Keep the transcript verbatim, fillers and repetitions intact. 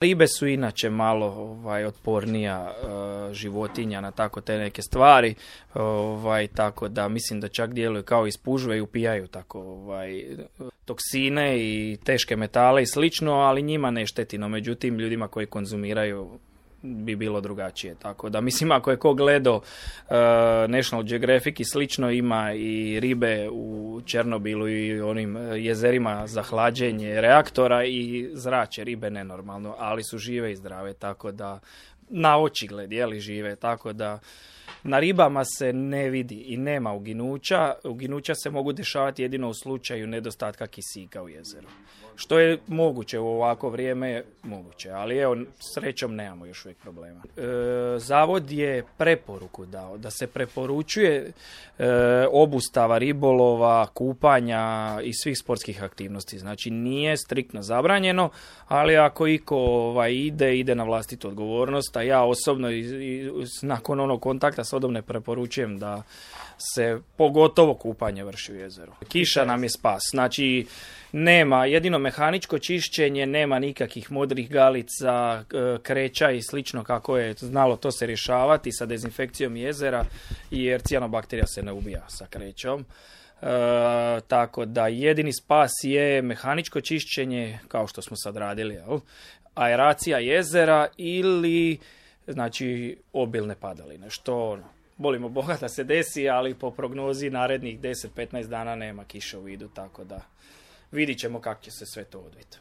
Ribe su inače malo ovaj, otpornija uh, životinja na tako te neke stvari, ovaj, tako da mislim da čak djeluju kao ispužve i upijaju tako ovaj, toksine i teške metale i slično, ali njima ne šteti, no međutim ljudima koji konzumiraju bi bilo drugačije. Tako da mislim ako je ko gledao uh, National Geographic i slično, ima i ribe u Černobilu i onim jezerima za hlađenje reaktora i zrače ribe nenormalno, ali su žive i zdrave, tako da na očigled je li žive, tako da na ribama se ne vidi i nema uginuća. Uginuća se mogu dešavati jedino u slučaju nedostatka kisika u jezeru. Što je moguće u ovako vrijeme, moguće, ali evo, srećom nemamo još uvijek problema. E, zavod je preporuku dao da se preporučuje e, obustava ribolova, kupanja i svih sportskih aktivnosti. Znači nije striktno zabranjeno, ali ako iko ovaj, ide, ide na vlastitu odgovornost, a ja osobno i, i, nakon onog kontakta s vodom ne preporučujem da se pogotovo kupanje vrši u jezeru. Kiša nam je spas, znači nema, jedino mehaničko čišćenje, nema nikakvih modrih galica, kreća i slično kako je znalo to se rješavati sa dezinfekcijom jezera, jer cijanobakterija se ne ubija sa krećom. E, tako da jedini spas je mehaničko čišćenje, kao što smo sad radili, jel? Aeracija jezera ili znači obilne padaline, što molimo Boga da se desi, ali po prognozi narednih deset do petnaest dana nema kiše u vidu, tako da vidit ćemo kako će se sve to odviti.